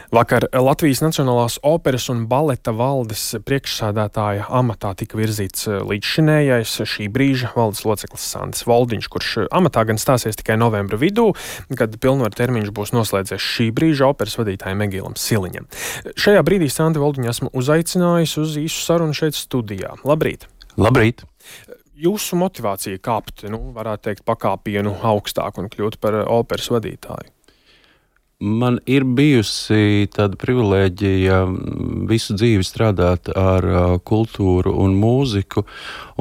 Vakar Latvijas Nacionālās operas un baleta valdes priekšsēdētāja amatā tika virzīts līdzšinējais šī brīža valdes loceklis Sandis Voldiņš, kurš amatā gan stāsies tikai novembra vidū, kad pilnvaru termiņš būs noslēdzies šī brīža operas vadītājam Egīlam Siliņam. Šajā brīdī Sandi Voldiņu esmu uzaicinājis uz īsu sarunu šeit studijā. Labrīt! Labrīt! Jūsu motivācija kāpt, varētu teikt, pakāpienu augstāk un kļūt par operas vadītāju? Man ir bijusi tāda privilēģija visu dzīvi strādāt ar kultūru un mūziku,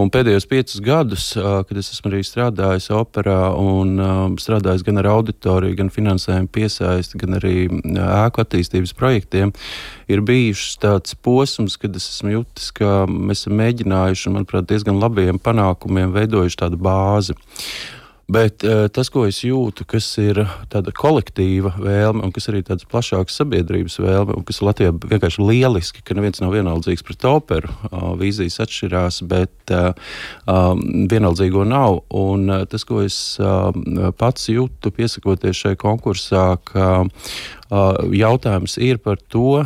un pēdējos 5 gadus, kad es esmu arī strādājis operā un strādājis gan ar auditoriju, gan finansējumu piesaisti, gan arī ēku attīstības projektiem, ir bijušas tāds posms, kad es esmu jutis, ka mēs esam mēģinājuši, manuprāt, diezgan labiem panākumiem veidojuši tādu bāzi. Bet tas, ko es jūtu, kas ir tāda kolektīva vēlme un kas arī tādas plašākas sabiedrības vēlme, un kas Latvijā vienkārši lieliski, ka neviens nav vienaldzīgs pret operu, vīzijas atšķirās, bet vienaldzīgo nav. Un tas, ko es pats jūtu, piesakoties šai konkursā, ka jautājums ir par to,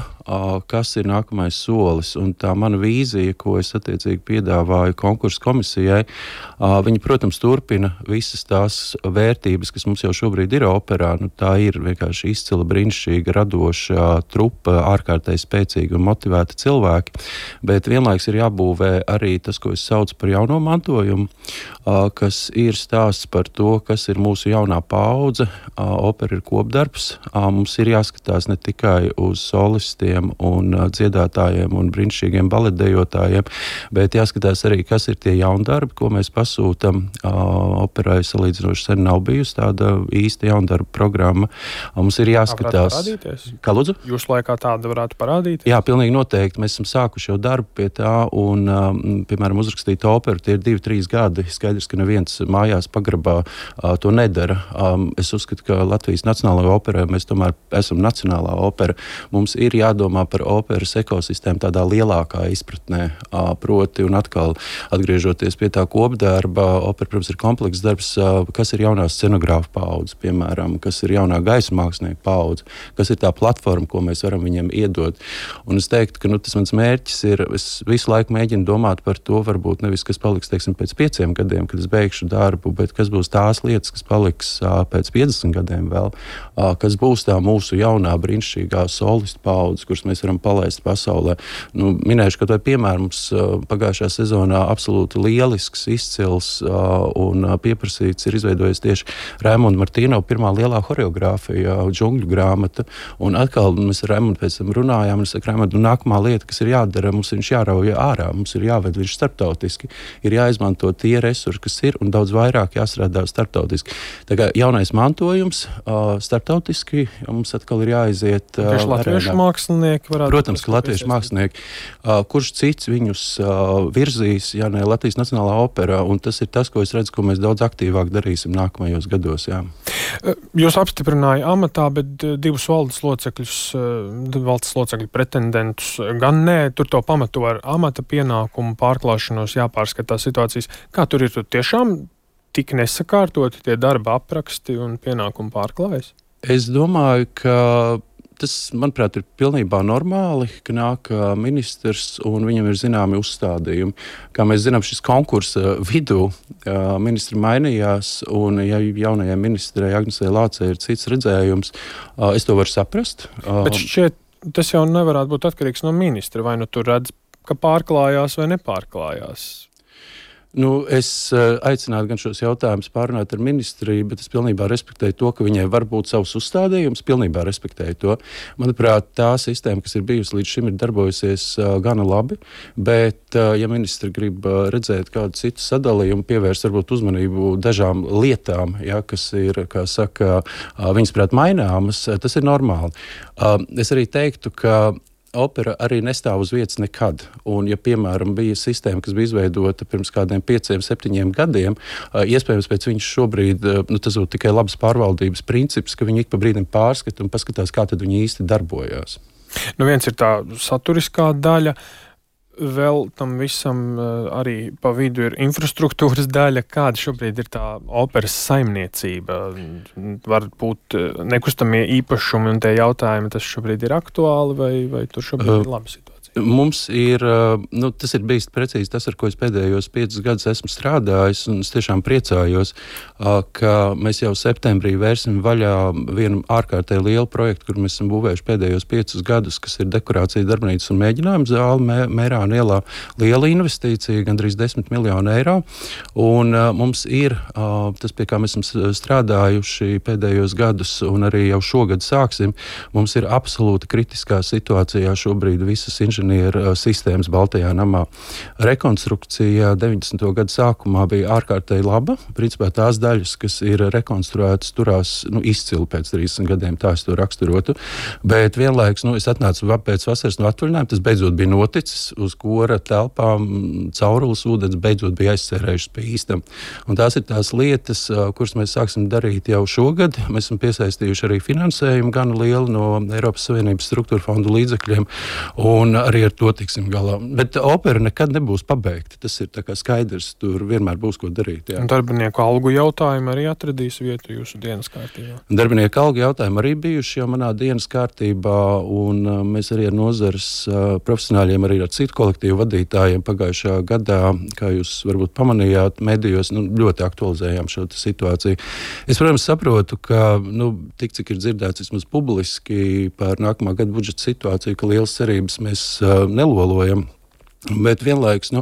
kas ir nākamais solis. Un tā mana vīzija, ko es attiecīgi piedāvāju konkursu komisijai, viņi, protams, turpina visas tās vērtības, kas mums jau šobrīd ir operā. Tā ir vienkārši izcila, brīnišķīga, radoša trupa, ārkārtēji spēcīga un motivēta cilvēki. Bet vienlaiks ir jābūvē arī tas, ko es saucu par jauno mantojumu, kas ir stāsts par to, kas ir mūsu jaunā paudze. Opera ir kopdarbs. Mums ir jāskatās ne tikai uz solistiem un dziedātājiem un brīnišķīgiem baletdejotājiem, bet jāskatās arī, kas ir tie jaundarbi, ko mēs pasūtam. Operai salīdzinoši sen nav bijusi tāda īsta jaundarba programma. Mums ir jāskatās. Kā lūdzu? Jūsu laikā tāda varētu parādīties? Jā, pilnīgi noteikti. Mēs esam sākuši jau darbu pie tā un, piemēram, uzrakstīt operu, tie ir 2-3 gadi. Skaidrs, ka neviens mājās pagrabā to nedara. Es uzskatu, ka Latvijas Nacionālajā operā mēs tomēr esam nacionālā opera. Mums ir jādomā par operas ekosistēmu tādā lielākā izpratnē, proti un atkal atgriežoties pie tā kopdarba. Opera, protams, ir komplekss darbs, kas ir jaunā scenogrāfa paudze, piemēram, kas ir jaunā gaisa mākslinieka paudze, kas ir tā platforma, ko mēs varam viņiem iedot. Un es teiktu, ka tas mans mērķis ir, es visu laiku mēģinu domāt par to, varbūt nevis, kas paliks, teiksim, pēc 5 gadiem, kad es beigšu darbu, bet kas būs tās lietas, kas paliks pēc 50 gadiem vēl, kas būs tā mūsu jaunā brīnišķīgā solistu paudze, kuras mēs varam palaist pasaulē. Minēšu, ka to piemēram mums pagājušā sezonā absolūti lielisks, izcils un pieprasīts ir izveidojies tieši Raimonda Martīnova pirmā lielā horeogrāfija, Džungļu grāmata. Un atkal mēs ar Raimondu pēc tam runājām, un es saku, Raimondu, nākamā lieta, kas ir jādara, mums viņš jārauj ārā, mums ir jāved viņš starptautiski, ir jāizmanto tie resursi, kas ir, un daudz vairāk jāstrādā starptautiski. Tā kā jaunais mantojums starptautiski, mums atkal ir jāaiziet. Tieši latviešu mākslinieki varētu. Protams, ka latviešu mākslinieki. Kurš cits viņus virzīs, ja ne Latvijas Nacionālā opera, un tas ir tas, ko es redzu, ko mēs daudz aktīvāk darīsim nākamajos gados. Jā. Jūs apstiprināja amatā, bet 2 valdes locekļu pretendentus gan nē, tur to pamato ar amata pienākumu pārklāšanos jāpārskatās situācijas. Kā tur ir tiešām tik nesakārtoti tie darba apraksti un pienākumu pārklājas? Es domāju, ka tas, manuprāt, ir pilnībā normāli, ka nāk ministrs un viņam ir zināmi uzstādījumi. Kā mēs zinām, šis konkursa vidū ministri mainījās, un ja jaunajai ministrei Agnesei Lācei ir cits redzējums, es to varu saprast. Bet šķiet, tas jau nevarētu būt atkarīgs no ministra, vai tur redz, ka pārklājās vai nepārklājās? Es aicinātu gan šos jautājumus pārunāt ar ministriju, bet es pilnībā respektēju to, ka viņai var būt savs uzstādījums, pilnībā respektēju to. Manuprāt, tā sistēma, kas ir bijusi līdz šim, ir darbojusies gana labi, bet ja ministri grib redzēt kādu citu sadalījumu, pievērst varbūt uzmanību dažām lietām, kas ir, kā saka, viņas prāt maināmas, tas ir normāli. Es arī teiktu, ka opera arī nestāv uz vietas nekad. Un, ja, piemēram, bija sistēma, kas bija izveidota pirms kādiem 5-7 gadiem, iespējams, pēc viņas šobrīd, tas būtu tikai labas pārvaldības princips, ka viņi ik pa brīdim pārskata un paskatās, kā tad viņi īsti darbojās. Viens ir tā saturiskā daļa. vēl tam visam arī pa vidu ir infrastruktūras daļa. Kāda šobrīd ir tā operas saimniecība? Varbūt nekustamie īpašumi un tie jautājumi, tas šobrīd ir aktuāli vai tur šobrīd ir laba situācija? Mums ir, tas ir bijis precīzi tas, ar ko es pēdējos 5 gadus esmu strādājis, un es tiešām priecājos, ka mēs jau septembrī vērsim vaļā vienu ārkārtēji lielu projektu, kur mēs esam būvējuši pēdējos 5 gadus, kas ir dekorācija darbnīcas un mēģinājuma zāle Mērāna ielā. Liela investīcija, gandrīz 10 miljonu eiro, un mums ir tas, pie kā mēs esam strādājuši pēdējos gadus, un arī jau šogad sāksim, mums ir absolūti kritiskā situācijā šobrīd visas inženieru sistēmas Baltajā namā. Rekonstrukcija 90. gadu sākumā bija ārkārtēji laba. Principā tās daļas, kas ir rekonstruētas, turās izcili pēc 30 gadiem, tā es to raksturotu. Bet vienlaikus, es atnācu pēc vasaras no atvaļinājuma, tas beidzot bija noticis, uz kora telpām caurules ūdens beidzot bija aizsērējušas pie īstam. Un tās ir tās lietas, kuras mēs sāksim darīt jau šogad. Mēs esam piesaistījuši arī finansējumu gan lielu no Eiropas Savienības struktūra fondu līdzekļiem, un arī ar to tiksim galā. Bet opera nekad nebūs pabeigta. Tas ir tā kā skaidrs, tur vienmēr būs ko darīt. Jā. Un darbinieku algu jautājumi arī atradīs vietu jūsu dienas kārtībā? Darbinieku algu jautājumi arī bijuši jau manā dienas kārtībā, un mēs arī ar nozares profesionāļiem, arī ar citu kolektīvu vadītājiem pagājušā gadā, kā jūs varbūt pamanījāt, medijos ļoti aktualizējām šo situāciju. Es, protams, saprotu, ka tik cik ir dzirdēts vismaz publiski par nākamā gada budžeta situāciju, ka lielas cerības mēs nelolojam, bet vienlaikus,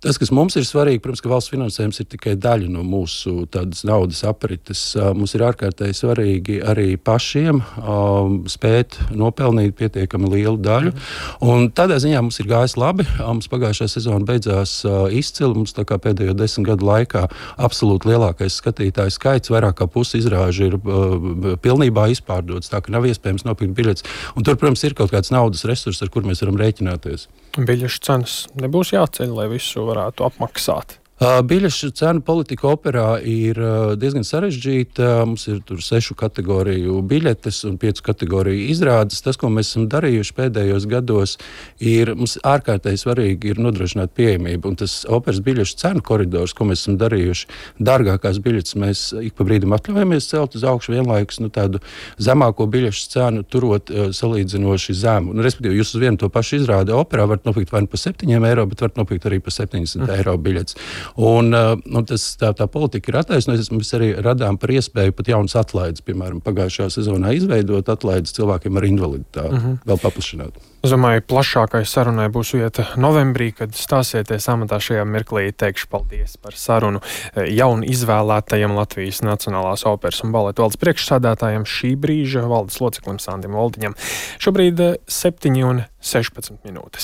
tas, kas mums ir svarīgi, protams, ka valsts finansējums ir tikai daļa no mūsu tādas naudas aprites. Mums ir ārkārtēji svarīgi arī pašiem spēt nopelnīt pietiekami lielu daļu. Un tādā ziņā mums ir gājis labi. Mums pagājušā sezona beidzās izcili. Mums tā kā pēdējo 10 gadu laikā absolūti lielākais skatītāju skaits, vairāk kā pusi izrāžu ir pilnībā izpārdots, tā ka nav iespējams nopirkt biļetes. Un tur, protams, ir kaut kāds naudas resurs, ar kur mēs varam rēķināties. Biļešu cenas nebūs jāceļ, lai visu varētu apmaksāt? Biļešu cenu politika operā ir diezgan sarežģīta. Mums ir tur 6 kategoriju biļetes un 5 kategoriju izrādes. Tas, ko mēs esam darījuši pēdējos gados, ir mums ārkārtēji svarīgi ir nodrošināt pieejamību. Un tas operas biļešu cenu koridors, ko mēs esam darījuši, dārgākās biļetes mēs ik pa brīdim atļaujamies celt uz augšu, vienlaikus tādu zemāko biļešu cenu turot salīdzinoši zemu. Respektīvi, jūs uz vienu to pašu izrādi operā varat nopirkt vai pa 7 eiro, bet varat nopirkt arī pa 70 eiro biļetes. Un tā politika ir attaisnojusies. Mēs arī radām par iespēju pat jaunas atlaides, piemēram, pagājušajā sezonā izveidot atlaides cilvēkiem ar invaliditāti, vēl paplašināt. Es domāju, plašākai sarunai būs vieta novembrī, kad stāsieties amatā. Šajā mirklī teikšu paldies par sarunu jaunu izvēlētajam Latvijas Nacionālās operas un baleta valdes priekšsādātājam, šī brīža valdes loceklim Sandim Voldiņam. Šobrīd 7:16.